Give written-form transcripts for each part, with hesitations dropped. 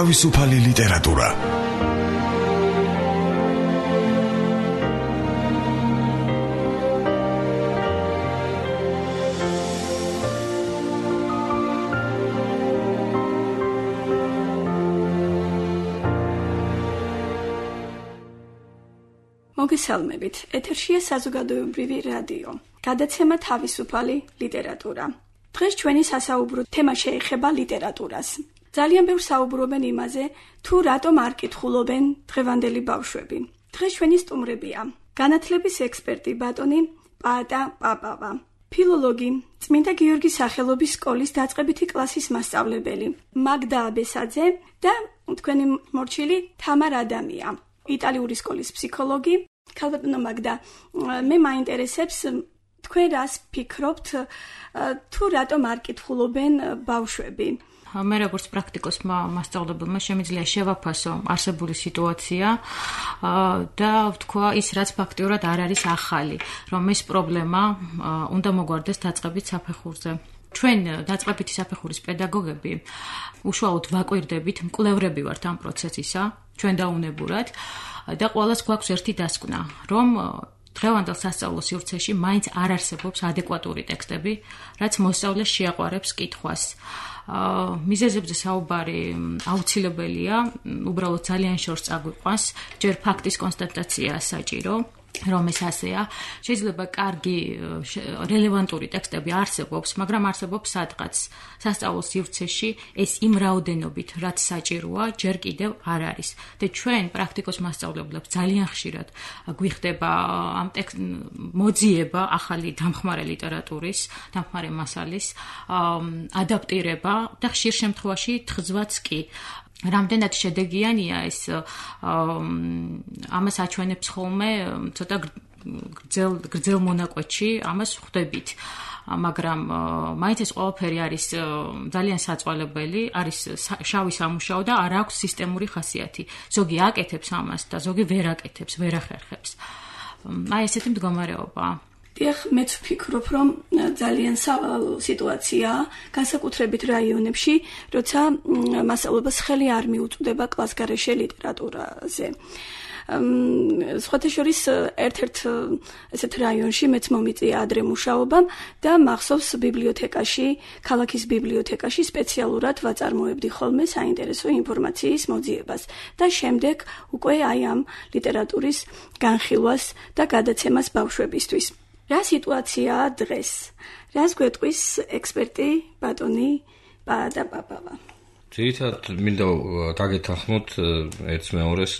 თავისუფალი ლიტერატურა. მოგესალმებით, ეთერშია საზოგადოებრივი რადიო. გადაცემა თავისუფალი ლიტერატურა. დღეს ჩვენი სასაუბრო თემა შეეხება ლიტერატურას. ძალიან ბევრ საუბრობენ იმაზე, თუ რატომ არ კითხულობენ დღევანდელი ბავშვები. დღეს ჩვენი სტუმრებია: განათლების ექსპერტი ბატონი პაატა პაპავა, ფილოლოგი, წმინდა გიორგის სახელობის სკოლის დაწყებითი კლასის მასწავლებელი მაგდა აბესაძე და თქვენი მორჩილი თამარ ადამია, იტალიური სკოლის ფსიქოლოგი. ქალბატონო მაგდა, მე მაინტერესებს თქვენ რას ფიქრობთ, თუ რატომ არ კითხულობენ ბავშვები? მე როგორც პრაქტიკოსმა მასწავლებელმა შემიძლია შევაფასო არსებული სიტუაცია და ვთქვა ის, რაც ფაქტიურად არ არის ახალი, რომ ეს პრობლემა უნდა მოგვარდეს დაწყებით საფეხურზე. ჩვენ დაწყებითი საფეხურის პედაგოგები უშუალოდ ვაკვირდებით, მკვლევრები ვართ ამ პროცესისა, ჩვენ დაუნებურად და ყველას გვაქვს ერთი დასკვნა, რომ დღევანდელ სასწავლო სივრცეში მაინც არ არსებობს ადეკვატური ტექსტები, რაც მოსწავლეს შეაყვარებს კითხვას. მიზეზებზე საუბარი აუცილებელია, უბრალოდ ძალიან შორს წაგვიყვანს, ჯერ ფაქტის კონსტატაცია საჭირო, რომ ეს ასეა. შეიძლება კარგი რელევანტური ტექსტები არსებობს, მაგრამ არსებობს სადღაც სასწავლო სივრცეში ეს იმ რაოდენობით, რაც საჭიროა, ჯერ კიდევ არ არის. და ჩვენ პრაქტიკოს მასწავლებლებს ძალიან ხშირად გვიხდება ამ მოძიება ახალი დამხმარე ლიტერატურის, დამხმარე მასალის ადაპტირება და ხშირ შემთხვევაში თხზვაც კი. რამდენად შედეგიანია ეს ამას აჩვენებს ხოლმე ცოტა გრძელ მონაკვეთში, ამას ხვდებით. მაგრამ მაინც ეს ყველაფერი არის ძალიან საწვალებელი, არის შავი სამუშაო და არ აქვს სისტემური ხასიათი. ზოგი აკეთებს ამას და ზოგი ვერ აკეთებს, ვერ ახერხებს. აი ესეთი მდგომარეობა. დიახ, მეც ვფიქრობ, რომ ძალიან სიტუაციაა, განსაკუთრებით რაიონებში, როცა მასწავლებლებს ხელი არ მიუწვდება კლასგარეშე ლიტერატურაზე. სხვათა შორის ერთ-ერთ ესეთ რაიონში მეც მომიწია ადრე მუშაობამ და მახსოვს ბიბლიოთეკაში, ქალაქის ბიბლიოთეკაში სპეციალურად ვაწარმოებდი ხოლმე საინტერესო ინფორმაციის მოძიებას და შემდეგ უკვე აი ამ ლიტერატურის განხილვას და გადაცემას ბავშვებისთვის. რა სიტუაციაა დღეს? რას გვეტყვის ექსპერტი ბატონი პაატა პაპავა? ძირითადად მინდა დაგეთანხმოთ ერთს მეორეს,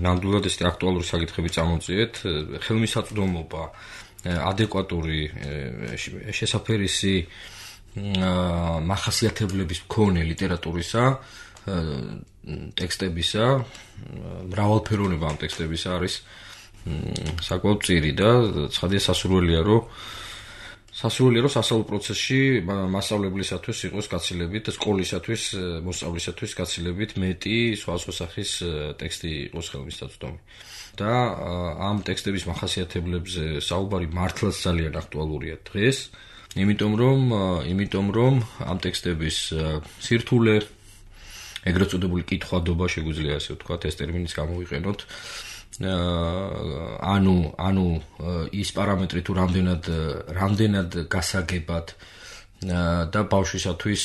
ნამდვილად ეს აქტუალური საკითხები წამოწიეთ. ხელმისაწვდომობა, ადეკვატური შესაფერისი მახასიათებლების მქონე ლიტერატურისა, ტექსტებისა, მრავალფეროვნება ამ ტექსტებისა არის საკმაოდ წირი და ცხადია სასურველია, რომ სასწავლო პროცესში მასწავლებლისათვის იყოს გაცილებით და სკოლისათვის, მოსწავლისათვის გაცილებით მეტი სხვადასხვა სახის ტექსტი იყოს ხელმისაწვდომი. და ამ ტექსტების მახასიათებლებზე საუბარი მართლაც ძალიან აქტუალურია დღეს, იმიტომ რომ ამ ტექსტების სირთულე, ეგრეთ წოდებული კითხვადობა, შეგვიძლია ასე ვთქვათ, ეს ტერმინიც გამოვიყენოთ. ანუ ის პარამეტრი თუ რამდენად გასაგებად და ბავშვისათვის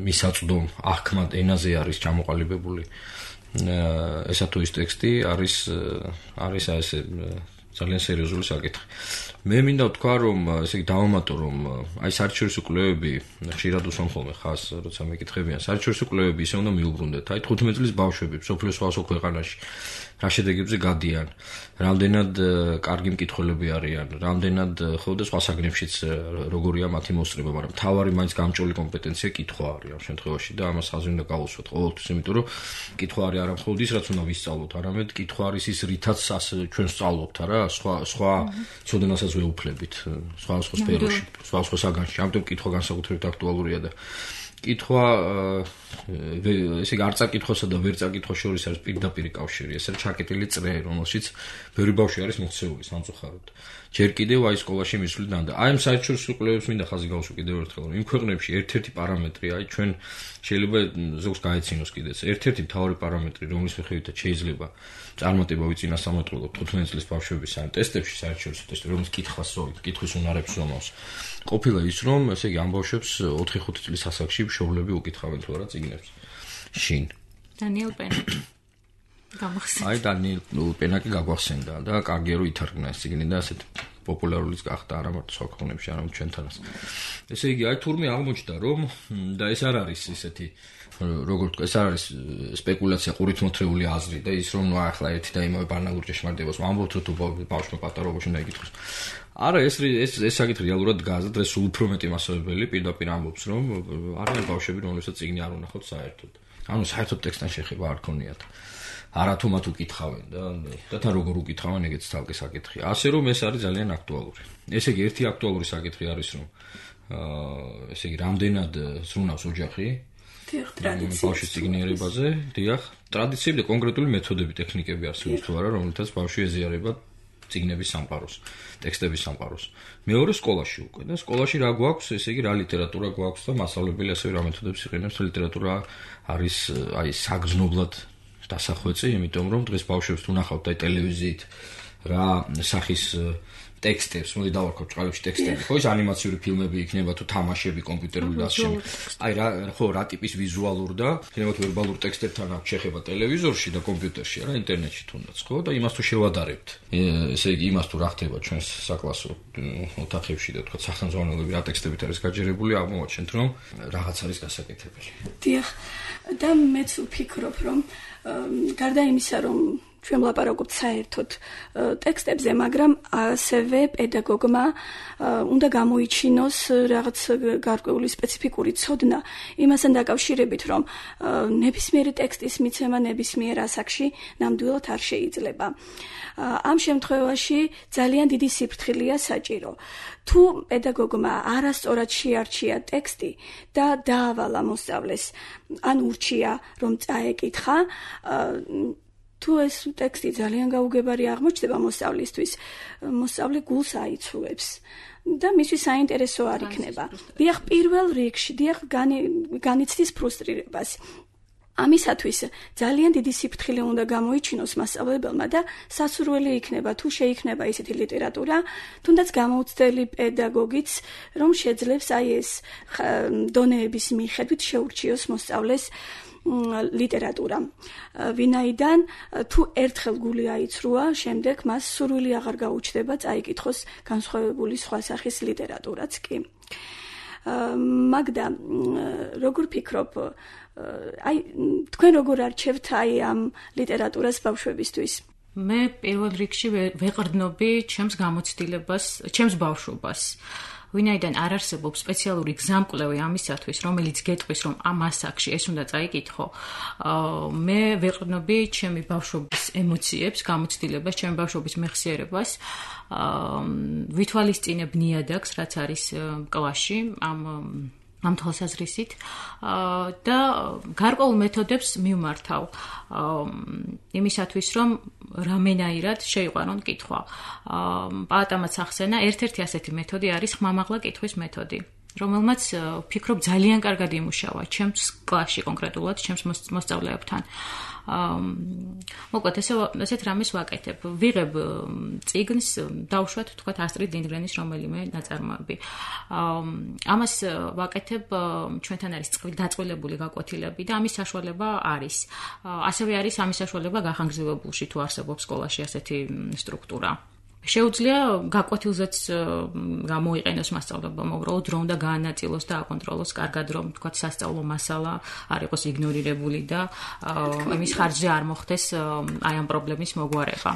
მისაწვდომ აღქმად ენაზე არის ჩამოყალიბებული ესა თუ ის ტექსტი არის ესე ძალიან სერიოზული საკითხი. მე მინდა ვთქვა, რომ ესე იგი დავამატო, რომ აი საერთაშორისო კვლევები ხშირად უსვამ ხოლმე ხას, როცა მეკითხებიან, საერთაშორისო კვლევები ისე უნდა მიუბრუნდეთ. აი 15 წლის ბავშვები მსოფლიოს სხვადასხვა ქვეყანაში რა შედეგებზე გადიან, რამდენად კარგი მკითხველები არიან, რამდენად ხო და სხვა საგნებშიც როგორია მათი მოსწრება, მაგრამ თავარი მაინც გამჭოლი კომპეტენცია კითხვა არის ამ შემთხვევაში და ამას ხაზი უნდა გავუსვათ ყოველთვის, იმიტომ რომ კითხვა არის არა მხოლოდ ის, რაც უნდა ვისწავლოთ, არამედ კითხვა არის ის რითაც ჩვენ ვსწავლობთ, არა, სხვა ცოდნასაც ვეუფლებით, სხვა სფეროში, სხვა საგანში. ამიტომ კითხვა განსაკუთრებით აქტუალურია და კითხვა ესე იგი არ წაკითხვასა და ვერ წაკითხვის შორის არის პირდაპირი კავშირი, ეს არის ჩაკეტილი წრე, რომელშიც ბევრი ბავშვი არის მოქცეული სამწუხაროდ. ჯერ კიდევ აი სკოლაში მისვლიდან და აი ამ საერთაშორისო კვლევებს მინდა ხაზი გავუსვა კიდევ ერთხელ, რომ იმ ქვეყნებში ერთ-ერთი პარამეტრი, აი ჩვენ შეიძლება ზოგს გაეცინოს კიდეც, ერთ-ერთი მთავარი პარამეტრი, რომლის მიხედვითაც შეიძლება წარმატება ვიწინასამოწყლოთ 15 წლის ბავშვების ან ტესტებში, საერთაშორისო ტესტებში, რომელიც კითხავს სწორედ, კითხვის უნარებს ზომავს. ყოფილა ის, რომ ესე იგი ამ ბავშვებს 4-5 წლის ასაკში მშობლები უკითხავენ თუ არა წიგნებს. შინ. დანიელ პენაკი. გამახსენდა. აი დანიელ პენაკი გაგვახსენდა და კარგია რომ ითარგმნა ეს წიგნი და ასეთ პოპულარულიც გახდა არა მარტო სხვა ქვეყნებში, არამედ ჩვენთანაც. ესე იგი, აი თურმე აღმოჩნდა რომ და ეს არ არის ისეთი როგორ თქვა, ეს არ არის სპეკულაცია, ყურით მოთრეული აზრი და ის რომ ნუ ახლა ერთი და იმავე ბანალურ ჭეშმარიტებას ვამბობთ, რომ თუ ბავშვმა პატარობაში უნდა იკითხოს. არა, ეს საკითხი რეალურად დგას და დღეს უფრო მეტი მასწავლებელი პირდაპირ ამბობს, რომ არიან ბავშვები, რომლებსაც წიგნი არ უნახავთ საერთოდ. ანუ საერთოდ ტექსტთან შეხება არ ქონიათ. არა თუ მათ უკითხავენ და თან როგორ უკითხავენ, ეგეც თალკი საკითხია. ასე რომ ეს არის ძალიან აქტუალური. ესე იგი, ერთი აქტუალური საკითხი არის, რომ ესე იგი, რამდენად ზრუნავს ოჯახი ბავშვის წიგნიერებაზე, დიახ, ტრადიციები და კონკრეტული მეთოდები, ტექნიკები არსებობს თუ არა, რომლითაც ბავშვი ეზიარება წიგნების სამყაროს, ტექსტების სამყაროს. მეორე სკოლაში უკვე და სკოლაში რა გვაქვს, ესე იგი, რა ლიტერატურა გვაქვს და მასწავლებელი ასევე რა მეთოდებს იყენებს, ლიტერატურა არის აი საგრძნობლად დასახვეწი, იმიტომ რომ დღეს ბავშვებს თუ ნახავთ აი ტელევიზიით რა სახის ტექსტებს, მოდი დავარქვა ჭყალებში ტექსტები, ხო, ის ანიმაციური ფილმები იქნება თუ თამაშები კომპიუტერული და ასე შემდეგ. აი რა ტიპის ვიზუალურ და იქნება თუ ვერბალურ ტექსტებთან აქვს შეხება ტელევიზორში და კომპიუტერში, არა ინტერნეტში თუნდაც, ხო? და იმას თუ შევადარებთ. ესე იგი, იმას თუ რა ხდება ჩვენს საკლასო ოთახებში და თქვა სახელმძღვანელოები რა ტექსტებით არის გაჯერებული, აღმოვაჩენთ რომ რაღაც არის გასაკეთებელი. დიახ, და მეც ვფიქრობ, რომ გარდა იმისა, რომ ჩვენ ვლაპარაკობთ საერთოდ ტექსტებზე, მაგრამ ასევე პედაგოგმა უნდა გამოიჩინოს რაღაც გარკვეული სპეციფიკური ცოდნა იმასთან დაკავშირებით, რომ ნებისმიერი ტექსტის მიცემა ნებისმიერ ასაკში ნამდვილად არ შეიძლება. ამ შემთხვევაში ძალიან დიდი სიფრთხილეა საჭირო. თუ პედაგოგმა არასწორად შეარჩია ტექსტი და დაავალა მოსწავლეს, ან ურჩია რომ წაეკითხა, თუ ეს ტექსტი ძალიან გაუგებარი აღმოჩნდება მოსწავლისთვის, მოსწავლე გულს აიცულებს და მისთვის საინტერესო არ იქნება. დიახ, პირველ რიგში, დიახ, განიცდის ფრუსტრირებას. ამისათვის ძალიან დიდი სიფრთხილე უნდა გამოიჩინოს მასწავლებელმა და სასურველი იქნება, თუ შეიქმნება ისეთი ლიტერატურა, თუნდაც გამოუცდელი პედაგოგიც, რომ შეძლებს აი ეს დონეების მიხედვით შეურჩიოს მოსწავლეს ლიტერატურა. ვინაიდან თუ ერთხელ გული აიცრუა, შემდეგ მას სურვილი აღარ გაუჩნდება წაიკითხოს განსხვავებული სხვა სახის ლიტერატურაც კი. მაგდა, როგორ ფიქრობ, აი თქვენ როგორ არჩევთ აი ამ ლიტერატურას ბავშვებისთვის? მე პირველ რიგში ვეყრდნობი ჩემს გამოცდილებას, ჩემს ბავშვობას. ვინაიდან არ არსებობს სპეციალური გზამკვლევი ამისათვის, რომელიც გეტყვის, რომ ამ ასაკში ეს უნდა წაიკითხო, მე ვეყრდნობი ჩემი ბავშვობის ემოციებს, გამოცდილებას, ჩემი ბავშვობის მეხსიერებას, ვითვალისწინებ ნიადაგს, რაც არის კლასში, ამ თვალსაზრისით და გარკვეულ მეთოდებს მივმართავ იმისათვის, რომ რამენაირად შეიყვანონ კითხვა. პაატამაც ახსენა, ერთ-ერთი ასეთი მეთოდი არის ხმამაღლა კითხვის მეთოდი, რომელმაც ვფიქრობ ძალიან კარგად იმუშავა ჩემს კლასში კონკრეტულად, ჩემს მოსწავლეებთან. მოკლედ ესეთ რამეს ვაკეთებ. ვიღებ წიგნს, დავუშვათ თქვათ ასტრიდ ლინდგრენის რომელიმე ნაწარმოები. ამას ვაკეთებ, ჩვენთან არის დაწყვილებული გაკვეთილები და ამის საშუალება არის. ასევე არის ამის საშუალება გახანგრძლივებულში თუ არსებობს სკოლაში ასეთი სტრუქტურა. შეუძლია გაკვეთილზეც გამოიყენოს მასწავლებელმა, უბრალოდ რომ უნდა გაანაწილოს და აკონტროლოს კარგად, რომ თქვათ სასწავლო მასალა არ იყოს იგნორირებული და იმის ხარჯზე არ მოხდეს აი ამ პრობლემის მოგვარება.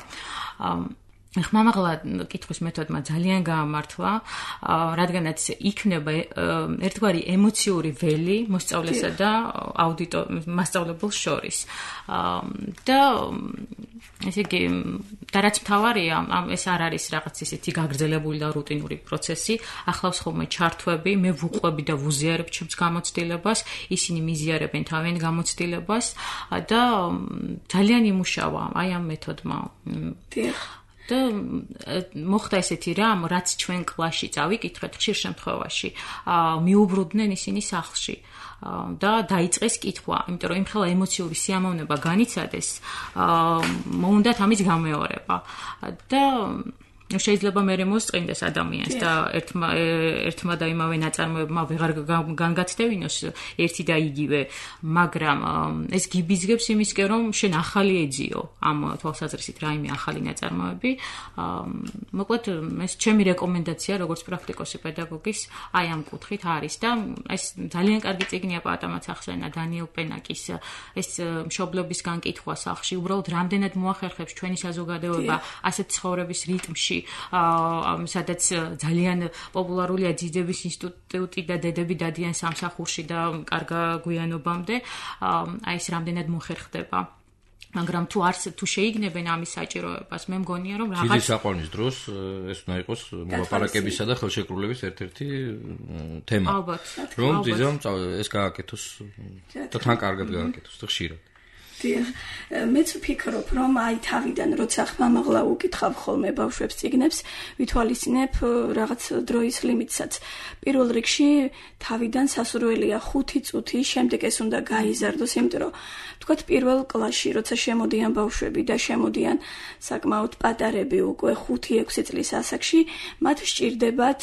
ხმამაღლა კითხვის მეთოდმა ძალიან გაამართლა, რადგანაც იქნება ერთგვარი ემოციური ველი მოსწავლესა და მასწავლებელს შორის. და ესე იგი, და რაც მთავარია, ეს არ არის რაღაც ისეთი გაგრძელებული და რუტინური პროცესი, ახლავს ხოლმე ჩართვები, მე ვუყვები და ვუზიარებ ჩემს გამოცდილებას, ისინი მიზიარებენ თავიანთ გამოცდილებას და ძალიან იმუშავა აი ამ მეთოდმა. და მოხდა ესეთი რამ, რაც ჩვენ კლასში წავიკითხეთ ხშირ შემთხვევაში, მიუბრუნდნენ ისინი სახლში და დაიწყეს კითხვა, იმიტომ რომ იმხელა ემოციური სიამოვნება განიცადეს, მოუნდათ ამის გამეორება და შეიძლება მერე მოსწყინდეს ადამიანს და ერთმა და იმავე ნაწარმოებმა ვეღარ განგაცდევინოს ერთი და იგივე, მაგრამ ეს გიბიზგებს იმისკენ, რომ შენ ახალი ეძიო ამ თვალსაზრისით რაიმე ახალი ნაწარმოები. მოკლედ ეს ჩემი რეკომენდაცია როგორც პრაქტიკოსი პედაგოგის აი ამ კუთხით არის და ეს ძალიან კარგი წიგნია პატამაც ახსენა დანიელ პენაკის ეს მშობლებისგან კითხვა სახლში, უბრალოდ რამდენად მოახერხებს ჩვენი საზოგადოება ასეთ ცხოვრების რიტმში, სადაც ძალიან პოპულარულია ძიძების ინსტიტუტი და დედები დადიან სამსახურში და კარგ გვიანობამდე, აი ეს რამდენად მოხერხდება. მაგრამ თუ შეიგნებენ ამის საჭიროებას, მე მგონია რომ რაღაც ძიძის აყვანის დროს ეს უნდა იყოს მოლაპარაკებისა და ხელშეკრულების ერთ-ერთი თემა. ალბათ. რომ ძიძამ ეს გააკეთოს და თან კარგად გააკეთოს და ხშირად. მეც ვფიქრობ, რომ აი თავიდან როცა ხმამაღლა უკითხავ ხოლმე ბავშვებს წიგნებს, ვითვალისწინებ რაღაც დროის ლიმიტსაც. პირველ რიგში თავიდან სასურველია 5 წუთი, შემდეგ ეს უნდა გაიზარდოს, იმიტომ რომ თქვათ პირველ კლასში, როცა შემოდიან ბავშვები და შემოდიან საკმაოდ პატარები უკვე 5-6 წლის ასაკში, მათ სჭირდებათ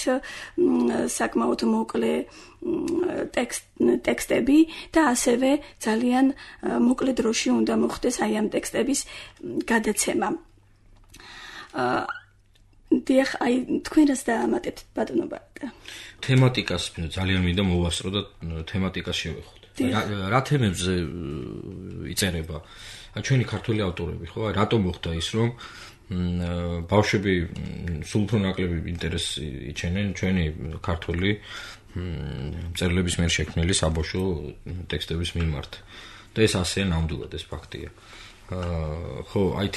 საკმაოდ მოკლე ტექსტები და ასევე ძალიან მოკლე დროში უნდა მოხდეს აი ამ ტექსტების გადაცემა. დიახ, აი თქვენ რას დაამატებთ ბატონო ბარდა? თემატიკას ძალიან მინდა მოვასწრო და თემატიკას შევეხოთ. რა თემებზე იწერება? ჩვენი ქართველი ავტორები, ხო? რატომ მოხდა ის, რომ ბავშვები სულ უფრო ნაკლები ინტერესი იჩენენ ჩვენი ქართველი მწერლების მიერ შექმნილი საბავშვო ტექსტების მიმართ. და ეს ასე ნამდვილად ეს ფაქტია. ხო, აი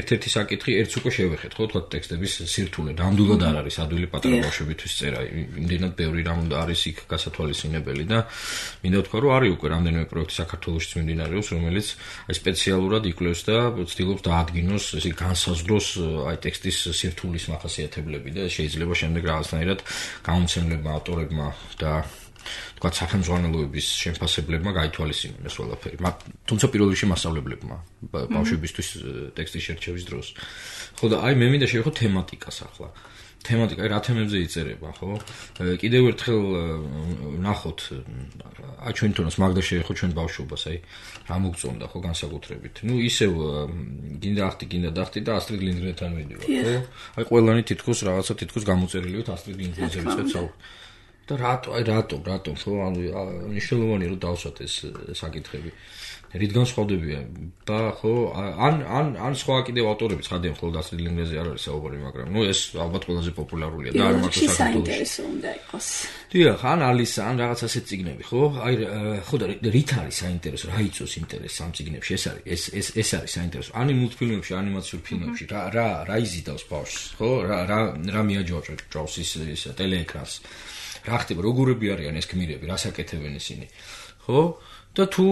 ერთ-ერთი საკითხი ერთს უკვე შევეხეთ, ხო, თქვა ტექსტების სირთულე. ნამდვილად არ არის ადვილი პატარა ბავშვებისთვის წერა. იმდენად ბევრი რამ არის იქ გასათვალისწინებელი და მინდა ვთქვა, რომ არის უკვე რამდენიმე პროექტი საქართველოშიც მიმდინარეობს, რომელიც აი სპეციალურად იკვლევს და ცდილობს დაადგინოს, ესე განსაზღვროს აი ტექსტის სირთულის მახასიათებლები და შეიძლება შემდეგ რაღაცნაირად გამომცემლებმა, ავტორებმა და თქვა სახელმძღვანელოების შემფასებლებმა გაითვალისწინონ ეს ყველაფერი. თუმცა პირველ რიგში მასწავლებლებმა ბავშვებისთვის ტექსტის შერჩევის დროს. ხო და აი მე მინდა შევეხო თემატიკას ახლა. თემატიკა რა თემებზე იწერება, ხო? კიდევ ერთხელ ნახოთ აი ჩვენ თუნდაც მაგდა შევეხო ჩვენ ბავშვობას, აი რა მოგწონდა ხო განსაკუთრებით. ნუ ისევ გინდა დახტი და ასტრიდ ლინდგრენთან მიდივარ, ხო? აი ყველანი თითქოს გამოწერილი ვით ასტრიდ ლინდგრენზე ვიწყებთ საუბარს. და რატომ ხო მნიშვნელოვანია რომ დავსვათ ეს საკითხები. რითგან სხვადებია? ხო, ან სხვა კიდევ ავტორები ცხადია, მხოლოდ ასტრიდ ლინდგრენზე არ არის საუბარი, მაგრამ ნუ ეს ალბათ ყველაზე პოპულარულია და არ მარტო საინტერესო უნდა იყოს. დიახ, ან ალისა, ან რაღაც ასეთ წიგნები, ხო? აი ხო და რით არის საინტერესო? რა იწვევს ინტერესს ამ წიგნებში? ეს არის საინტერესო. ან მულტფილმებში, ანიმაციურ ფილმებში, რა იზიდავს ბავშვს, ხო? რა მიაჯვაჭვავს ის ტელეეკრანს. რა ხდება, როგორები არიან ეს გმირები, რას აკეთებენ ისინი, ხო? და თუ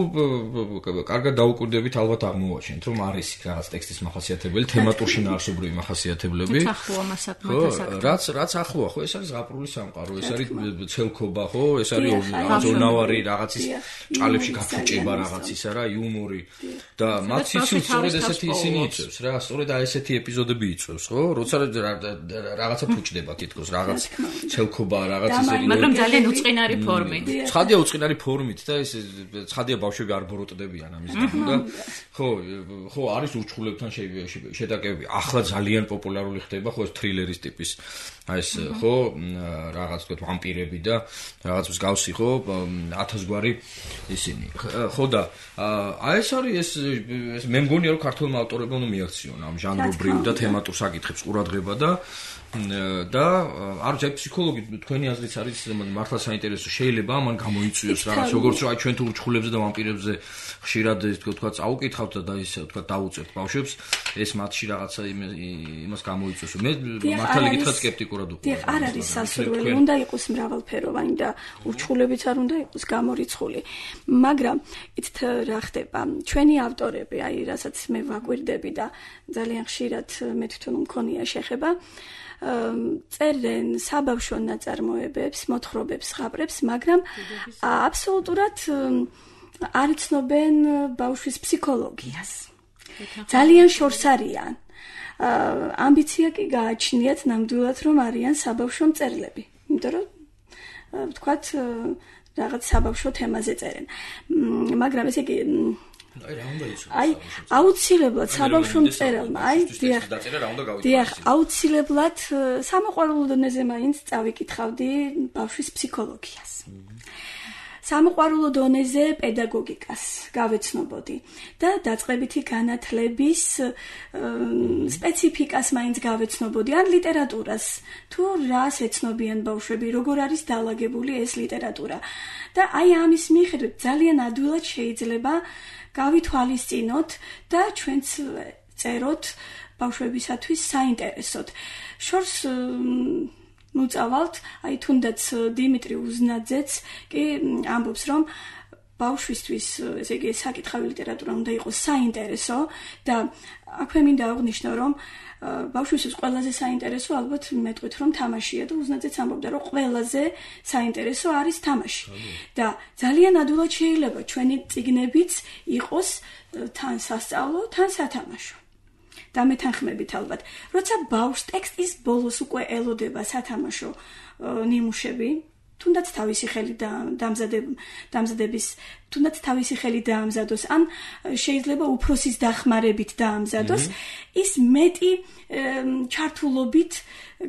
კარგად დაუკვირდებით, ალბათ აღმოვაჩენთ, რომ არის რაღაც ტექსტის მახასიათებელი, თემატური შინაარსობრივი მახასიათებლები. რაც ახლოა, ხო, ეს არის ზღაპრული სამყარო, ეს არის ცელქობა, ხო, ეს არის ონავარი რაღაცის ჭალებში გაფუჭება რაღაცისა რა, იუმორი და მათ სიცოცხლე სწორედ ესეთი ისინი იწევს რა, სწორედ აი ესეთი ეპიზოდები იწევს, ხო? როცა რაღაცა ფუჭდება თითქოს, რაღაც ცელქობა, რაღაც ისეთი, მაგრამ ძალიან უწყინარი ფორმით. ცხადია უწყინარი ფორმით და ეს ცხადია ბავშვები არ ბოროტდებიან ამის გამო და ხო არის ურჩხულებთან შეტაკებები. ახლა ძალიან პოპულარული ხდება ხო ეს თრილერის ტიპის აი ეს ხო რაღაც თქვა ვამპირები და რაღაც მსგავსი ხო 1000 გვარი ისინი. ხო და აი ეს არის ეს მე მგონია რომ ქართულმა ავტორებმა უნდა მიაქციონ ამ ჟანრობრივ და თემატურ საკითხებს ყურადღება და არ ვიცი ფსიქოლოგი თქვენი აზრით არის მართლა საინტერესო შეიძლება ამან გამოიწვიოს რაღაც როგორც რომ აი ჩვენ თუ ურჩხულებზე და ვამპირებზე ხშირად თქვა წაუკითხავთ და ისე თქვა დაუწერთ ბავშვებს ეს მათში რაღაცა იმას გამოიწვიოს მე მართლა გითხრათ სკეპტიკურად ვიყავ დიახ არ არის სასურველი უნდა იყოს მრავალფეროვანი და ურჩხულებიც არ უნდა იყოს გამორიცხული მაგრამ იცით რა ხდება ჩვენი ავტორები აი რასაც მე ვაკვირდები და ძალიან ხშირად მე თვითონ მქონია შეხება წერენ საბავშვო ნაწარმოებებს, მოთხრობებს, ზღაპრებს, მაგრამ აბსოლუტურად არ იცნობენ ბავშვის ფსიქოლოგიას. ძალიან შორს არიან. ამბიცია კი გააჩნიათ ნამდვილად რომ არიან საბავშვო მწერლები. იმიტომ რომ ვთქვათ რაღაც საბავშვო თემაზე წერენ. მაგრამ ესე იგი აი აუცილებლად საბავშვო მწერალმა აი დიახ აუცილებლად სამოყვარულო დონეზე მაინც წავიკითხავდი ბავშვის ფსიქოლოგიას სამოყვარულო დონეზე პედაგოგიკას გავეცნობოდი და დაწყებითი განათლების სპეციფიკას მაინც გავეცნობოდი ან ლიტერატურას თუ რას ეცნობიან ბავშვები როგორ არის დალაგებული ეს ლიტერატურა და აი ამის მიხედვით ძალიან ადვილად შეიძლება გავითვალისწინოთ და ჩვენც წეროთ ბავშვებისათვის საინტერესოდ. შორს მუწავალთ, აი თუნდაც დიმიტრი უზნაძეც კი ამბობს რომ ბავშვისთვის ესე იგი საკითხავი ლიტერატურა უნდა იყოს საინტერესო და აქვე მინდა აღვნიშნო რომ ბავშვისთვის ყველაზე საინტერესო ალბათ მეტყვით რომ თამაშია და უზნაძეც ამბობდა რომ ყველაზე საინტერესო არის თამაში და ძალიან ადვილად შეიძლება ჩვენი წიგნებიც იყოს თან სასწავლო, თან სათამაშო. და მეთანხმებით ალბათ, როცა ბავშვს ტექსტის ბოლოს უკვე ელოდება სათამაშო ნიმუშები თუნდაც თავისი ხელი დამზადების თუნდაც თავისი ხელი დაამზადოს ან შეიძლება უფროსის დახმარებით დაამზადოს ის მეტი ჩართულობით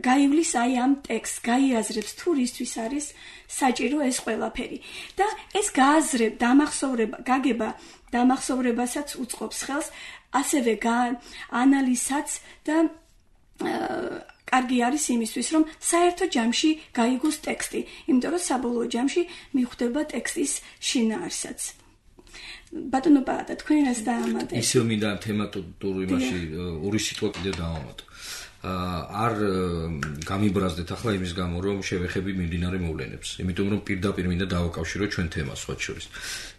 გაივლის აი ამ ტექსტს გაიაზრებს თუ რისთვის არის საჭირო ეს ყველაფერი და ეს გააზრებ გაგება დამახსოვრებასაც უწყობს ხელს ასევე ანალიზსაც და კარგი არის იმისთვის, რომ საერთო ჯამში გაიგოს ტექსტი, იმიტომ რომ საბოლოო ჯამში მიხვდება ტექსტის შინაარსაც. ბატონო პაატა, თქვენ რას დაამატეთ? ისევ მინდა თემატურ იმაში ორი სიტყვა კიდევ დავამატო. არ გამიბრაზდეთ ახლა იმის გამო, რომ შევეხები მიმდინარე მოვლენებს. იმიტომ რომ პირდაპირ მინდა დავაკავშირო ჩვენ თემას სხვა შორის.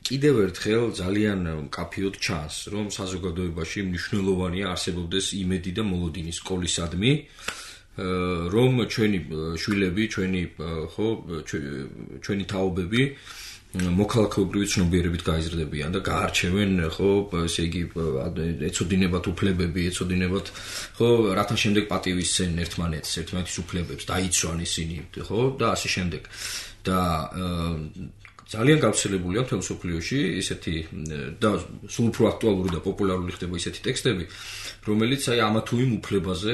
კიდევ ერთხელ ძალიან მკაფიოდ ჩანს, რომ საზოგადოებაში მნიშვნელოვანია არსებობდეს იმედი და მოლოდინი სკოლისადმი. რომ ჩვენი შვილები, ჩვენი თაობები მოქალაქეობრივი ცნობიერებით გაიზრდებიან და გაარჩევენ, ესე იგი, ეცოდინებათ უფლებები, ეცოდინებათ, რათა შემდეგ პატივისცენ ერთმანეთის უფლებებს, დაიცვან ისინი, და ასე შემდეგ. და ძალიან გავრცელებულია მთელ მსოფლიოში ისეთი და სულ უფრო აქტუალური და პოპულარული ხდება ისეთი ტექსტები, რომელიც აი ამა თუ იმ უფლებაზე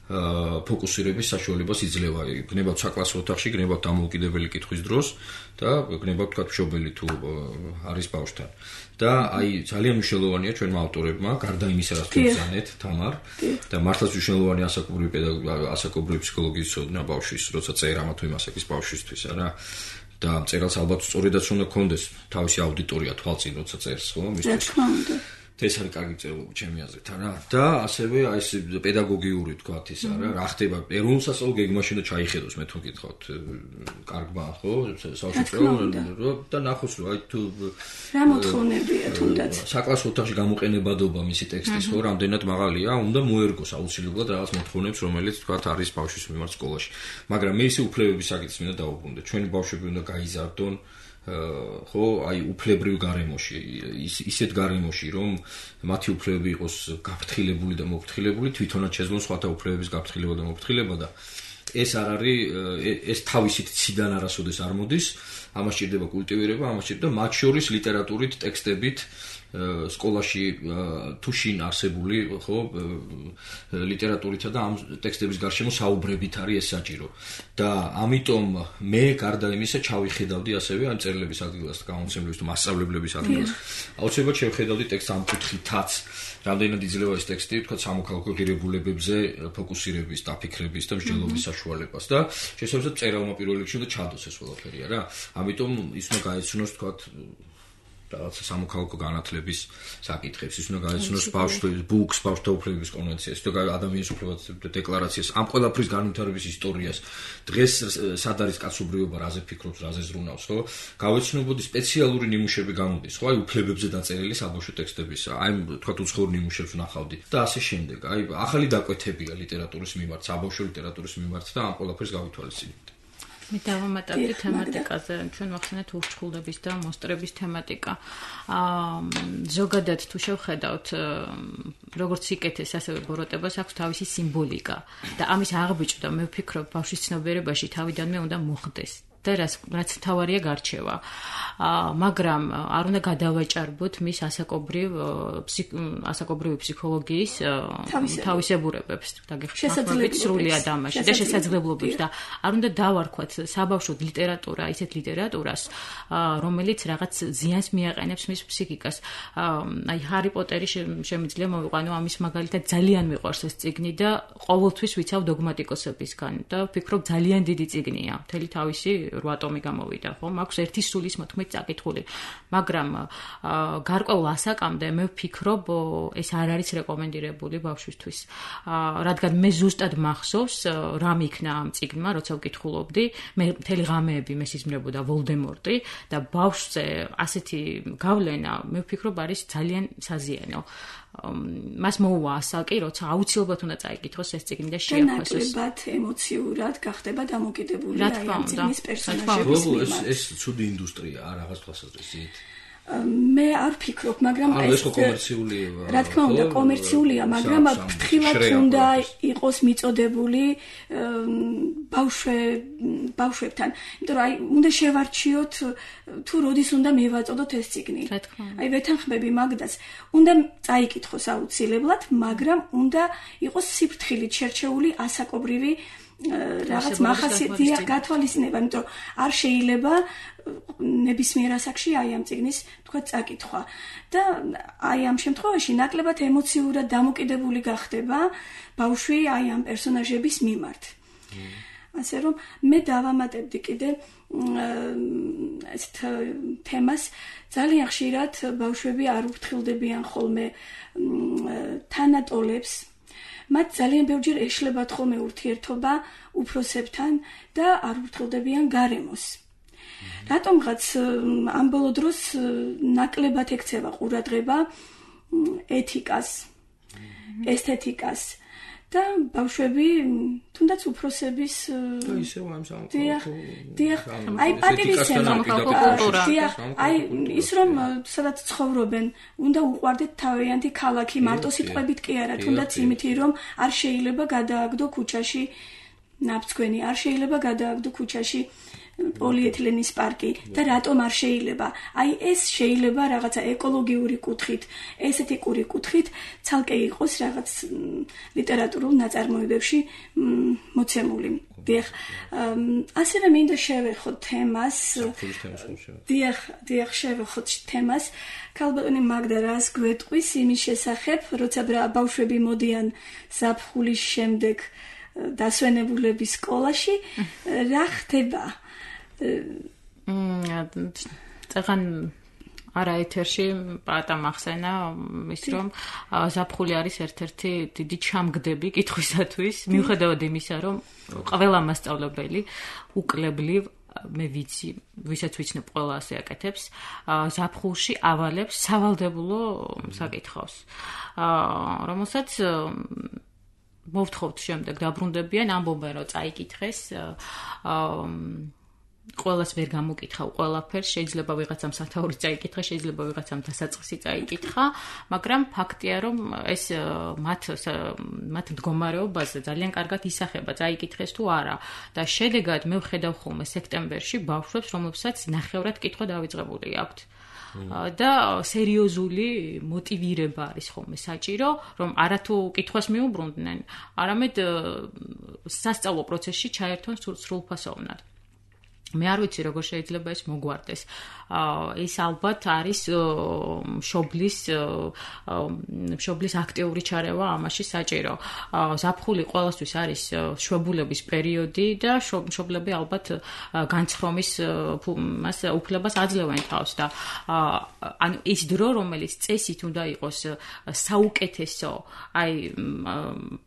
ფოკუსირების საშუალებას იძლევა. გნებავთ საკლასო ოთახში, გნებავთ დამოუკიდებელი კითხვის დროს და გნებავთ თქვა მშობელი თუ არის ბავშვთან. და აი ძალიან მნიშვნელოვანია ჩვენმა ავტორებმა, გარდა იმისა, რაც ვიზანეთ, თამარ, და მართლაც მნიშვნელოვანია ასაკობრივი ფსიქოლოგიის ცოდნა ბავშვის, როცა წერ ამა თუ იმ ასაკის ბავშვისთვის, არა? და მწერალს ალბათ სწორედაც უნდა ქონდეს თავისი აუდიტორია თვალწინ, როცა წერს, ხო? მისთვის. ეს არის კარგი წერილობა ჩემი აზრით, არა? და ასევე აი ეს პედაგოგიური თქვათ ის არა, რა ხდება ეროვნულ სასწავლო გეგმაში და ჩაიხედოს მე თვითონ გითხავთ, კარგმა, ხო? საერთოდ და ნახოს რომ აი თუ რა მოთხოვნებია თუნდაც საკლასო ოთახში გამოყენებადობა მისი ტექსტის, ხო, რამდენად მაღალია, უნდა მოერგოს აუცილებლად რაღაც მოთხოვნებს, რომელიც თქვათ არის ბავშვის მიმართ სკოლაში. მაგრამ მე ისე უფლებების საკითხს მინდა დავუბრუნდე. ჩვენი ბავშვები უნდა გაიზარდონ ხო, აი უფლებრივ გარემოში, ისეთ გარემოში, რომ მათი უფლებები იყოს გაფრთხილებული და მოფრთხილებული, თვითონაც შეძლონ სხვათა უფლებების გაფრთხილება და მოფრთხილება და ეს არ არის ეს თავისით ციდან არასოდეს არ მოდის, ამას ჭირდება კულტივირება, ამას ჭირდება მათ შორის ლიტერატურით, ტექსტებით სკოლაში თუ შინ არსებული ხო ლიტერატურითა და ამ ტექსტების გარშემო საუბრებით არის ეს საჭირო და ამიტომ მე გარდა იმისა ჩავიხედავდი ასევე ამ წერილების ადგილას გამომცემლების თუ მასწავლებლების ადგილას აუცილებლად შევხედავდი ტექსტს ამ კუთხითაც რამდენად იძლევა ეს ტექსტი თქვა სამოქალაქო ღირებულებებზე ფოკუსირების, დაფიქრების და მსჯელობის საშუალებას და შესაბამისად წერალმა პირველ რიგში უნდა ჩადოს ეს ყველაფერი რა ამიტომ ის უნდა გაეცნოს თქვა რაღაცა სამოქალაქო განათლების საკითხებს, ის უნდა გაეცნოს ბავშვთა უფლებების კონვენციას, თუ ადამიანის უფლებათა დეკლარაციას, ამ ყველაფრის განვითარების ისტორიას, დღეს სად არის კაცობრიობა, რაზე ფიქრობს, რაზე ზრუნავს, ხო? გავეცნობოდი სპეციალური ნიმუშები გამოდის, ხო? აი უფლებებზე დაწერილი საბავშვო ტექსტებისა, აი თქვა უცხოურ ნიმუშებს ვნახავდი და ასე შემდეგ. აი ახალი დაკვეთებია ლიტერატურის მიმართ, საბავშვო ლიტერატურის მიმართ და ამ ყველაფერს გავითვალისწინებდი. მე დავამატებდი თემატიკაზე, ჩვენ ვახსენეთ ურჩხულდების და მოსტრების თემატიკა. ზოგადად თუ შევხედავთ, როგორც სიკეთეს, ასევე ბოროტებას აქვს თავისი სიმბოლიკა და ამის აღბიჭდა მე ვფიქრობ ბავშვის ცნობიერებაში თავიდანვე უნდა მოხდეს. და რაც თავარია გარჩევა. მაგრამ არ უნდა გადავაჭარბოთ მის ასაკობრივი ფსიქოლოგიის თავისებურებებს დაგეხმარებით სრულად ამაში და შესაძლებლობებს და არ უნდა დავარქვათ საბავშვო ლიტერატურა ისეთ ლიტერატურას რომელიც რაღაც ზიანს მიაყენებს მის ფსიქიკას. აი ჰარი პოტერი შემიძლია მოვიყვანო ამის მაგალითად ძალიან მიყვარს ეს წიგნი და ყოველთვის ვიცავ დოგმატიკოსებისგან და ვფიქრობ ძალიან დიდი წიგნია მთელი თავისი 8 ტომი გამოვიდა, ხო? მაქვს 1 სულის 14 წაკითხული. მაგრამ გარკვეულ ასაკამდე მე ვფიქრობ, ეს არ არის რეკომენდირებული ბავშვისთვის. რადგან მე ზუსტად მახსოვს, რა მიქნა ამ წიგნმა, როცა ვკითხულობდი, მე მთელი ღამეები მესიზმრებოდა ვოლდემორტი და ბავშვზე ასეთი გავლენა, მე ვფიქრობ, არის ძალიან საზიანო. მას მოუვა ასაკი, როცა აუცილებლად უნდა წაიკითხოს ეს წიგნი და შეაფასოს. ნაკლებად ემოციურად გახდება დამოკიდებული ამ წიგნის პერსონაჟების მიმართ. ეს ცუდი ინდუსტრიაა რაღაც თვალსაზრისით. მე არ ვფიქრობ, მაგრამ ეს კომერციულია. რა თქმა უნდა, კომერციულია, მაგრამ ფრთხილად უნდა იყოს მიწოდებული ბავშვებთან. იმიტომ რომ აი უნდა შევარჩიოთ თუ როდის უნდა მევაწოდოთ ეს წიგნი. აი ვეთანხმები მაგდას, უნდა წაიკითხოს აუცილებლად, მაგრამ უნდა იყოს სიფრთხილით შერჩეული ასაკობრივი რაღაც მახასიათია გათვალისწინება, იმიტომ რომ არ შეიძლება ნებისმიერ ასაკში აი ამ წიგნის თქვა წაკითხვა და აი ამ შემთხვევაში ნაკლებად ემოციურად დამოკიდებული გახდება ბავშვი აი ამ პერსონაჟების მიმართ. ასე რომ მე დავამატებდი კიდე ესეთ თემას ძალიან ხშირად ბავშვები არ უფრთხილდებიან ხოლმე თანატოლებს მათ ძალიან ბევრჯერ ეშლებათ ხოლმე ურთიერთობა უფროსებთან და არ ურთულდებიან გარემოს. რატომღაც ამ ბოლო დროს ნაკლებად ექცევა ყურადღება ეთიკას, ესთეტიკას და ბავშვები თუნდაც უფროსების აი პატივისცემა აი ის რომ სადაც ცხოვრობენ უნდა უყვარდეთ თავიანთი ქალაქი მარტო სიტყვებით კი არა თუნდაც იმითი რომ არ შეიძლება გადააგდო ქუჩაში ნაფცქვენი არ შეიძლება გადააგდო ქუჩაში პოლიეთილენის პარკი და რატომ არ შეიძლება? აი ეს შეიძლება რაღაცა ეკოლოგიური კუთხით, ესეთიკური კუთხით ცალკე იყოს რაღაც ლიტერატურულ ნაწარმოებებში მოცემული. დიახ, ასევე მინდა შევეხოთ თემას. დიახ, შევეხოთ თემას. ქალბატონი მაგდა რას გვეტყვის იმის შესახებ, როცა ბავშვები მოდიან ზაფხულის შემდეგ დასვენებულების სკოლაში, რა ხდება? წაღან არა ეთერში პატა მახსენა ის რომ ზაფხული არის ერთ-ერთი დიდი ჩამგდები კითხვისათვის მიუხედავად იმისა რომ ყველა მასწავლებელი უკლებლივ მე ვიცი ვისაც ვიცნობ ყველა ასე აკეთებს ზაფხულში ავალებს სავალდებულო საკითხავს რომელსაც მოვთხოვთ შემდეგ დაბრუნდებიან ამბობენ რომ წაიკითხეს ყველას ვერ გამოკითხავ ყველაფერს, შეიძლება ვიღაცამ სათაური წაიკითხა, შეიძლება ვიღაცამ დასაწყისი წაიკითხა, მაგრამ ფაქტია, რომ ეს მათ მდგომარეობაზე ძალიან კარგად ისახება, წაიკითხეს თუ არა. და შედეგად მე ვხედავ ხოლმე სექტემბერში ბავშვებს, რომლებსაც ნახევრად კითხვა დავიწყებული აქვთ. და სერიოზული მოტივირება არის ხოლმე საჭირო, რომ არათუ კითხვას მიუბრუნდნენ, არამედ სასწავლო პროცესში ჩაერთონ სრულფასოვნად. მე არ ვიცი როგორ შეიძლება ეს მოგვარდეს. ეს ალბათ არის მშობლის აქტიური ჩარევა ამაში საჭირო. ზაფხული ყველასთვის არის შვებულების პერიოდი და მშობლები ალბათ განცხრომის უფლებას აძლევენ თავს და ანუ ის დრო, რომელიც წესით უნდა იყოს საუკეთესო, აი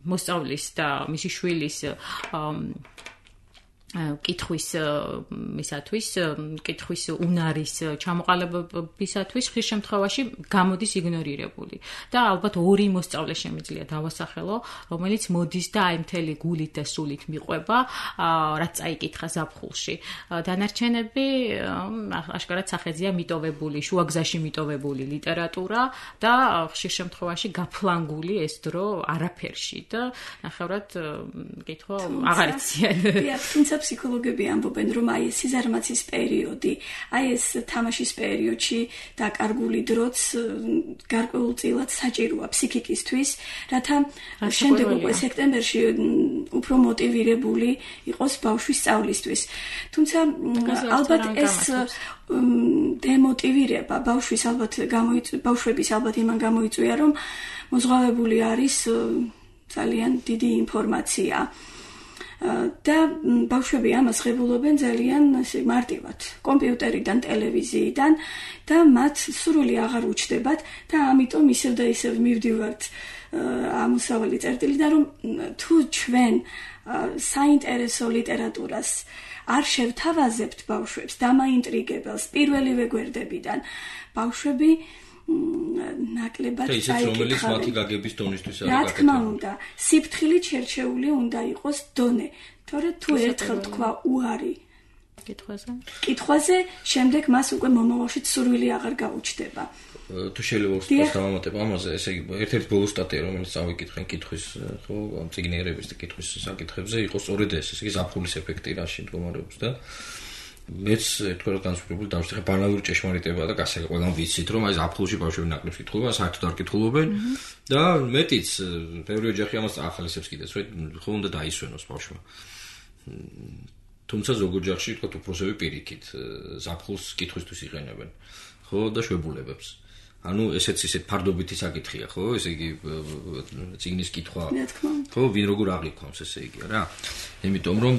მოსწავლის და მისი შვილის კითხვის უნარის ჩამოყალიბებისათვის ხშირ შემთხვევაში გამოდის იგნორირებული. და ალბათ ორი მოსწავლე შემიძლია დავასახელო, რომელიც მოდის და აი მთელი გულით და სულით მიყვება, რაც წაიკითხა ზაფხულში. დანარჩენები აშკარად სახეზეა მიტოვებული, შუაგზაში მიტოვებული ლიტერატურა და ხშირ შემთხვევაში გაფლანგული ეს დრო არაფერში და ნახევრად კითხვა აღარ იციან. თუმცა ფსიქოლოგები ამბობენ, რომ აი ეს სიზარმაცის პერიოდი, აი ეს თამაშის პერიოდში დაკარგული დროც გარკვეულწილად საჭიროა ფსიქიკისთვის, რათა შემდეგ უკვე სექტემბერში უფრო მოტივირებული იყოს ბავშვის სწავლისთვის. თუმცა ალბათ ეს დემოტივირება ბავშვების ალბათ იმან გამოიწვია, რომ მოზღვავებული არის ძალიან დიდი ინფორმაცია. და ბავშვები ამას ღებულობენ ძალიან მარტივად, კომპიუტერიდან, ტელევიზიიდან და მათ სრული აღარ უჩნდებათ და ამიტომ ისევ და ისევ მივდივართ ამოსავალი წერტილიდან, რომ თუ ჩვენ საინტერესო ლიტერატურას არ შევთავაზებთ ბავშვებს, დამაინტრიგებელს პირველივე გვერდებიდან, ბავშვები ნაკლებად რომელიც მათი გაგების დონისთვის არის. რა თქმა უნდა, სიფრთხილით შერჩეული უნდა იყოს დონე, თორე თუ ერთხელ თქვა უარი კითხვაზე, შემდეგ მას უკვე მომავალში სურვილი აღარ გაუჩნდება. თუ შეიძლება უბრალოდ დავამატებ ამაზე, ესე იგი, ერთ-ერთი ბოლო სტატია, რომელიც წავიკითხენ კითხვის, ხო, ამ წიგნიერების და კითხვის საკითხებზე, იყო სწორედ ეს, ესე იგი, ზაფხულის ეფექტი რაში მდგომარეობს და მეც თქვენ განსხვავებული დავშეხე ბანალური ჭეშმარიტება და გასაგებია ყველამ ვიცით რომ აი ზაფხულში ბავშვები ნაკლებს კითხულობენ, საერთოდ არ კითხულობენ და მეტიც ბევრი ოჯახი ამას ახალისებს კიდეც, რომ ხო უნდა დაისვენოს ბავშვმა. თუმცა ზოგ ოჯახში თქვა უფროსები პირიქით ზაფხულს კითხვისთვის იყენებენ, ხო და შვებულებებს. ანუ ესეც ისეთ ფარდობითი საკითხია, ხო? ესე იგი წიგნის კითხვა. ხო, ვინ როგორ აღიქვამს, ესე იგი რა. იმიტომ რომ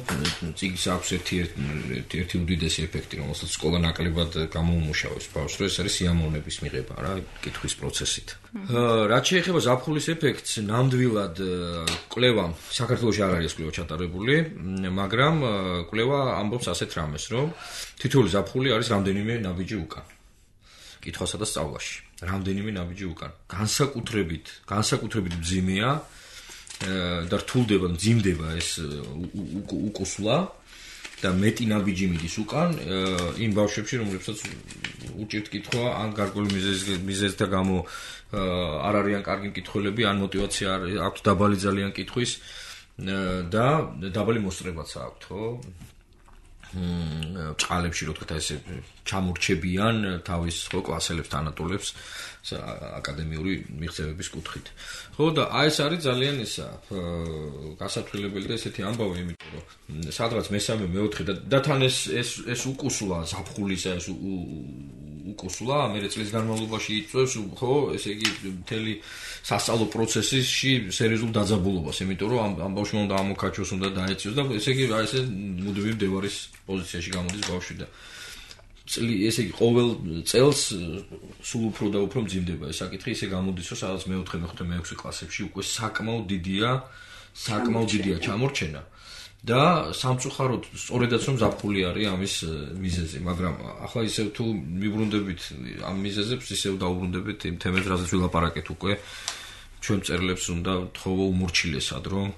წიგნს აქვს ერთი უდიდესი ეფექტი, რომელსაც სკოლა ნაკლებად გამოუმუშავებს ბავშვს, რომ ეს არის სიამოვნების მიღება რა, კითხვის პროცესით. რაც შეეხება ზაფხულის ეფექტს, ნამდვილად კვლევამ საქართველოში არ არის კვლევა ჩატარებული, მაგრამ კვლევა ამბობს ასეთ რამეს, რომ თითოეული ზაფხული არის რამდენიმე ნაბიჯი უკან. კითხვასა და სწავლაში. რამდენიმე ნაბიჯი უკან. განსაკუთრებით მძიმეა და რთულდება, მძიმდება ეს უკუსლა და მეტი ნაბიჯი მიდის უკან იმ ბავშვებში, რომლებსაც უჭირთ კითხვა, ან გარკვეული მიზეზთა გამო არ არიან კარგი მკითხველები, ან мотиваცია აქვს დაბალი ძალიან კითხვის და დაბალი მოსწრებაც აქვთ, ხო? ჭყალებში რო თქვა ესე ჩამორჩებიან თავის ხო კლასელებს თანატოლებს აკადემიური მიღწევების კუთხით. ხო და აი ეს არის ძალიან ისა გასათვლებელი და ესეთი ამბავი, იმიტომ რომ სადღაც მესამე მეოთხე და თან ეს უკუსლა ზაფხულისა ეს უკუსლა მე წლის განმავლობაში იწვევს ხო ესე იგი მთელი სასწავლო პროცესში სერიოზულ დაძაბულობას, იმიტომ რომ ამ ბავშვმა უნდა ამოკაჩოს, უნდა დაეციოს და ესე იგი აი ესე მუდმივი მდევარის პოზიციაში გამოდის ბავშვი და ესე იგი ყოველ წელს სულ უფრო და უფრო მძიმდება ეს საკითხი, ისე გამოდის რომ სადაც მეოთხე, მეხუთე, მეექვსე კლასებში უკვე საკმაოდ დიდია ჩამორჩენა და სამწუხაროდ სწორედაც რომ ზაფხული არის ამის მიზეზი, მაგრამ ახლა ისევ თუ მიბრუნდებით ამ მიზეზებს, ისევ დაუბრუნდებით იმ თემებს, რასაც ვილაპარაკეთ უკვე ჩვენ მწერლებს უნდა თხოვო უმორჩილესად, რომ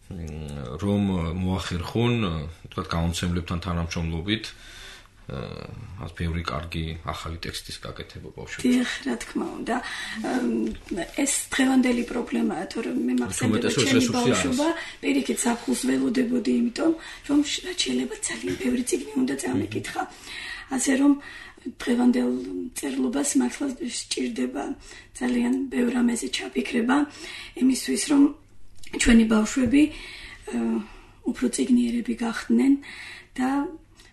რომ მოახერხონ, თქვა გამომცემლებთან თანამშრომლობით ას ბევრი კარგი ახალი ტექსტის გაკეთება ბავშვებს. დიახ, რა თქმა უნდა. ეს დღევანდელი პრობლემაა, თორემ მე მახსენდება ჩემი ბავშვობა, პირიქით საფულს ველოდებოდი, იმიტომ რომ შეიძლება ძალიან ბევრი წიგნი უნდა წამიკითხა. ასე რომ დღევანდელ წერლობას მართლა სჭირდება ძალიან ბევრ რამეზე ჩაფიქრება, იმისთვის რომ ჩვენი ბავშვები უფრო წიგნიერები გახდნენ და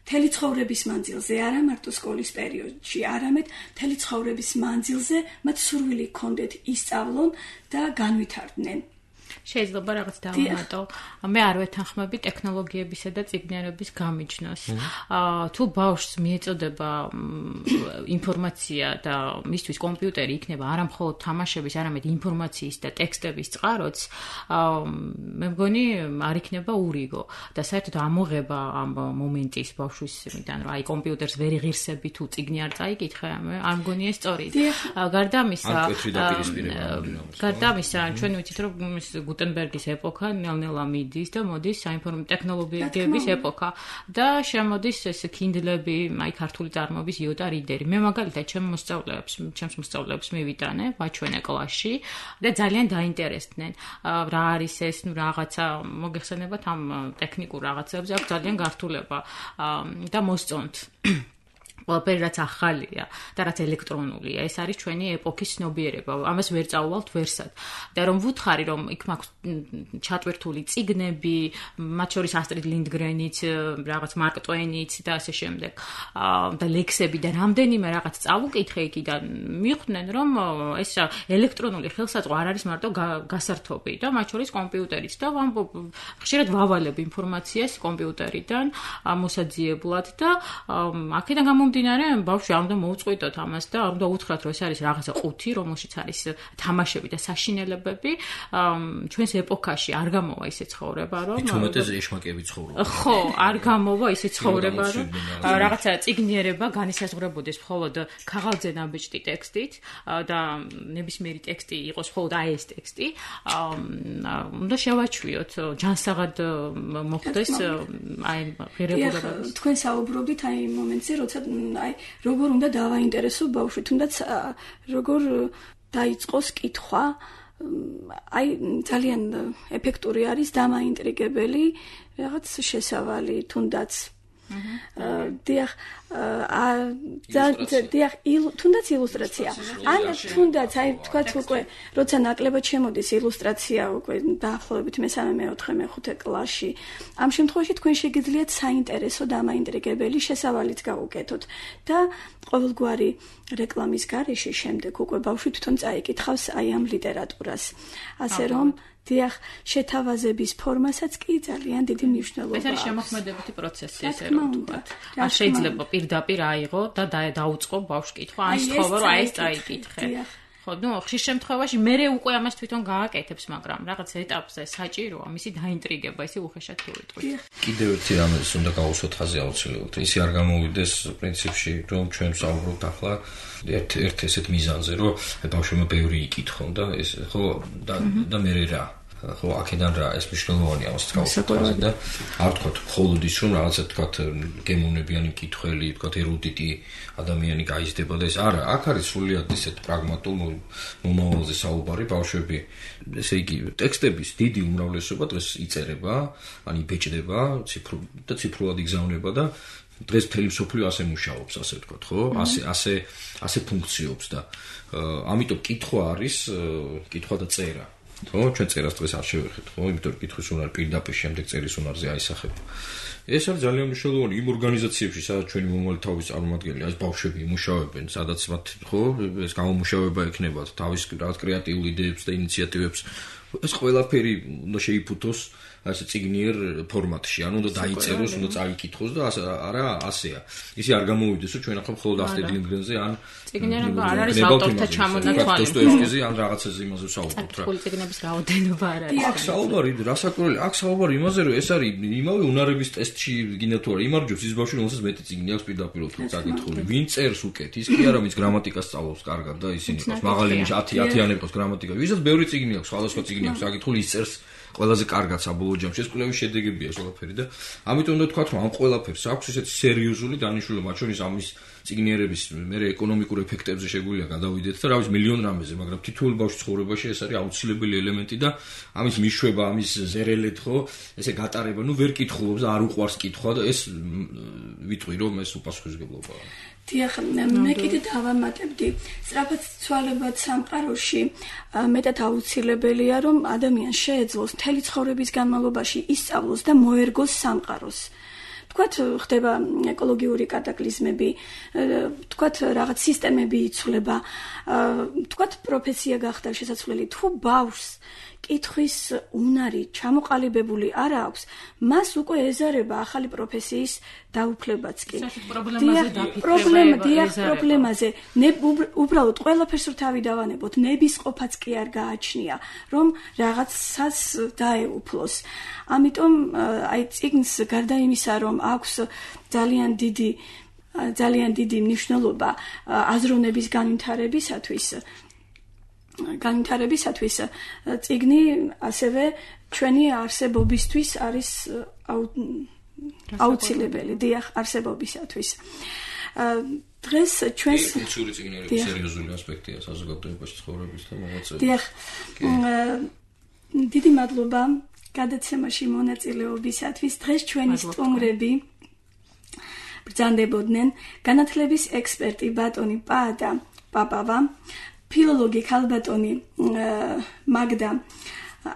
მთელი ცხოვრების მანძილზე, არა მარტო სკოლის პერიოდში, არამედ მთელი ცხოვრების მანძილზე მათ სურვილი ჰქონდეთ ისწავლონ და განვითარდნენ. შეიძლება რაღაც დავუმატო. მე არ ვეთანხმები ტექნოლოგიებისა და წიგნიერების გამიჯნოს. თუ ბავშვს მიეწოდება ინფორმაცია და მისთვის კომპიუტერი იქნება არა მხოლოდ თამაშების, არამედ ინფორმაციის და ტექსტების წყაროც, მე მგონი არ იქნება ურიგო და საერთოდ ამოღება ამ მომენტის ბავშვის იმიდან, რომ აი კომპიუტერს ვერ იღირსები თუ წიგნი არ წაიკითხე, არ მგონია სწორი. გარდა ამისა, ჩვენი ვიცით რომ გუტენბერგის ეპოქა ნელ-ნელა მიდის და მოდის საინფორმაციო ტექნოლოგიების ეპოქა და შემოდის ეს kindle-ები, აი ქართული წარმოების იოტა რიდერი. მე მაგალითად ჩემს მოსწავლეებს მივიტანე ვაჩვენე კლასში და ძალიან დაინტერესდნენ. რა არის ეს, რაღაცა მოგეხსენებათ ამ ტექნიკურ რაღაცებზე, აქვს ძალიან გართულება და მოსწონთ. ყველაფერი რაც ახალია და რაც ელექტრონულია, ეს არის ჩვენი ეპოქის ცნობიერება. ამას ვერ წაუვალთ ვერსად. და რომ ვუთხარი, რომ იქ მაქვს ჩატვირთული წიგნები, მათ შორის ასტრიდ ლინდგრენიც, რაღაც მარკ ტვეინიც და ასე შემდეგ, და ლექსები და რამდენიმე რაღაც წავუკითხე იქიდან, მიხვდნენ, რომ ეს ელექტრონული ხელსაწყო არ არის მარტო გასართობი და მათ შორის კომპიუტერიც და ხშირად ვავალებ ინფორმაციას კომპიუტერიდან მოსაძიებლად და აქედან დინარე ბავშვი არ უნდა მოუწყვიტოთ ამას და არ უნდა უთხრათ, რომ ეს არის რაღაცა ყუთი, რომელშიც არის თამაშები და საშინელებები. ჩვენს ეპოქაში არ გამოვა ისე ცხოვრება, რომ თუმეტეს ეშმაკები ცხოვრობენ. ხო, არ გამოვა ისე ცხოვრება, რომ რაღაცა წიგნიერება განისაზღვრებოდეს მხოლოდ ქაღალდზე ნაბეჭდი ტექსტით და ნებისმიერი ტექსტი იყოს მხოლოდ აი ეს ტექსტი. უნდა შევაჩვიოთ, ჯანსაღად მოხდეს აი ღირებულება. თქვენ საუბრობდით აი მომენტზე, როცა აი როგორ უნდა დავაინტერესო ბავშვი, თუნდაც როგორ დაიწყოს კითხვა, აი ძალიან ეფექტური არის დამაინტრიგებელი რაღაც შესავალი, თუნდაც თუნდაც ილუსტრაცია. ან თუნდაც აი თქვათ უკვე როცა ნაკლებად შემოდის ილუსტრაცია უკვე დაახლოებით მე-3, მე-5 კლასში. ამ შემთხვევაში თქვენ შეგიძლიათ საინტერესო დამაინტრიგებელი შესავალიც გაუკეთოთ და ყოველგვარი რეკლამის გარეშე შემდეგ უკვე ბავშვი თვითონ წაიკითხავს აი ამ ლიტერატურას. ასე რომ დიახ, შეთავაზების ფორმასაც კი ძალიან დიდი მნიშვნელობა აქვს. ეს არის შემოქმედებითი პროცესი, ესე რომ ვთქვათ. არ შეიძლება პირდაპირ აიღო და დაუწყო ბავშვს კითხვა, ან სთხოვა, რომ აი ეს წაიკითხე. ხო, ხშირ შემთხვევაში მე უკვე ამას თვითონ გააკეთებს, მაგრამ რაღაც ეტაპზე საჭიროა მისი დაინტრიგება, ისე უხეშად თვლით. კიდევ ერთი რამეს უნდა გავუსვათ ხაზი აუცილებლად. ისე არ გამოვიდეს პრინციპში, რომ ჩვენ ვსაუბრობთ ახლა ერთ ესეთ მიზანზე, რომ ბავშვებმა ბევრი იკითხონ და ეს ხო და მე რა ხო აქედან რა ეს მნიშვნელოვანია ამას გავუსვათ და არ ვთქვათ მხოლოდ ის რომ რაღაცა ვთქვათ გემოვნებიანი მკითხველი, ვთქვათ ერუდიტი ადამიანი გაიზრდება და ეს არა, აქ არის სრულიად ისეთ პრაგმატულ მომავალზე საუბარი. ბავშვები, ესე იგი, ტექსტების დიდი უმრავლესობა დღეს იწერება, ან იბეჭდება, ციფრულად იგზავნება და დღეს მთელი მსოფლიო ასე მუშაობს, ასე ვთქვათ, ხო? ასე ფუნქციობს და ამიტომ კითხვა არის, კითხვა და წერა. ხო, ჩვენ წერას დღეს არ შევეხეთ, ხო? იმიტომ რომ კითხვის უნარი პირდაპირ შემდეგ წერის უნარზე აისახება. ეს არის ძალიან მნიშვნელოვანი იმ ორგანიზაციებში, სადაც ჩვენი მომავალი თავის წარმომადგენელი, ეს ბავშვები იმუშავებენ, სადაც მათ ხო, ეს გამომუშავება ექნება თავის რაღაც კრეატიულ იდეებს და ინიციატივებს. ეს ყველაფერი უნდა შეიფუთოს ასე წიგნიერ ფორმატში, ანუ უნდა დაიწეროს, უნდა წაიკითხოს და არა ასეა. ისე არ გამოვიდეს, რომ ჩვენ ახლა მხოლოდ ასტრიდ ლინდგრენზე ან წიგნიერება არ არის ავტორთა ჩამონათვალი. დოსტოევსკიზე ან რაღაცაზე იმაზე ვსაუბრობთ რა. ქართული წიგნების რაოდენობა არ არის. აქ საუბარი, რასაკვირველია, აქ საუბარი იმაზე, რომ ეს არის იმავე უნარების ტესტში გინდა თუ არა, იმარჯვებს ის ბავშვი, რომელსაც მეტი წიგნი აქვს პირდაპირ წაკითხული. ვინ წერს უკეთ, ის კი არა, ვინც გრამატიკას სწავლობს კარგად და ისინი ყავს მაღალი 10-იანები ყავს გრამატიკა. ვისაც ბევრი წიგნი აქვს, სხვადასხვა წიგნი წიგნი აქვს აკითხული, ის წერს ყველაზე კარგად საბოლოო ჯამში. ეს კვლევის შედეგებია ყველაფერი და ამიტომ უნდა თქვა, რომ ამ ყველაფერს აქვს ესეთი სერიოზული დანიშნულება, მათ შორის ამის წიგნიერების მე ეკონომიკურ ეფექტებზე შეგვიძლია გადავიდეთ და რა ვიცი მილიონ რამეზე, მაგრამ თითოეულ ბავშვის ცხოვრებაში ეს არის აუცილებელი ელემენტი და ამის მიშვება, ამის ზერელეთ ხო, ესე გატარება, ვერ კითხულობს და არ უყვარს კითხვა და ეს ვიტყვი რომ ეს უპასუხისმგებლობაა. დიახ, მე კიდე დავამატებდი, სწრაფად ცვალებად სამყაროში მეტად აუცილებელია, რომ ადამიანს შეეძლოს მთელი ცხოვრების განმავლობაში ისწავლოს და მოერგოს სამყაროს. თქვათ ხდება ეკოლოგიური კატაკლიზმები, თქვათ რაღაც სისტემები იცვლება, თქვათ პროფესია გახდა შესაძლებელი, თუ ბავშვს კითხვის უნარი ჩამოყალიბებული არ აქვს, მას უკვე ეზარება ახალი პროფესიის დაუფლებაც კი. პრობლემაზე, უბრალოდ ყველაფერს რო თავი დავანებოთ, ნებისყოფაც კი არ გააჩნია, რომ რაღაცას დაეუფლოს. ამიტომ აი წიგნს გარდა იმისა, რომ აქვს ძალიან დიდი მნიშვნელობა აზროვნების განვითარებისათვის წიგნი ასევე ჩვენი არსებობისთვის არის აუცილებელი, დიახ, არსებობისათვის. დღეს ჩვენს კულტურული წიგნიერების სერიოზული ასპექტია საზოგადოებაში ცხოვრების და მოღვაწეობის. დიახ. დიდი მადლობა გადაცემაში მონაწილეობისათვის. დღეს ჩვენი სტუმრები ბრძანდებოდნენ განათლების ექსპერტი ბატონი პაატა პაპავა, ფილოლოგი ქალბატონი მაგდა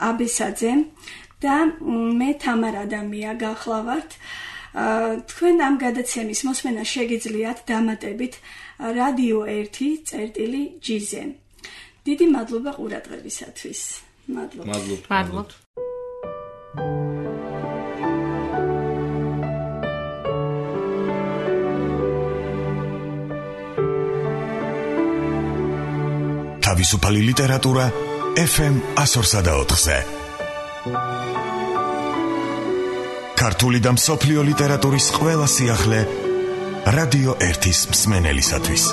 აბესაძე და მე თამარ ადამია გახლავართ. თქვენ ამ გადაცემის მოსმენა შეგიძლიათ დამატებით რადიო 1.gz-ზე. დიდი მადლობა ყურადღებისათვის. მადლობთ. თავისუფალი ლიტერატურა FM 104.4-ზე. ქართული და მსოფლიო ლიტერატურის ყველა სიახლე რადიო 1-ის მსმენელისათვის.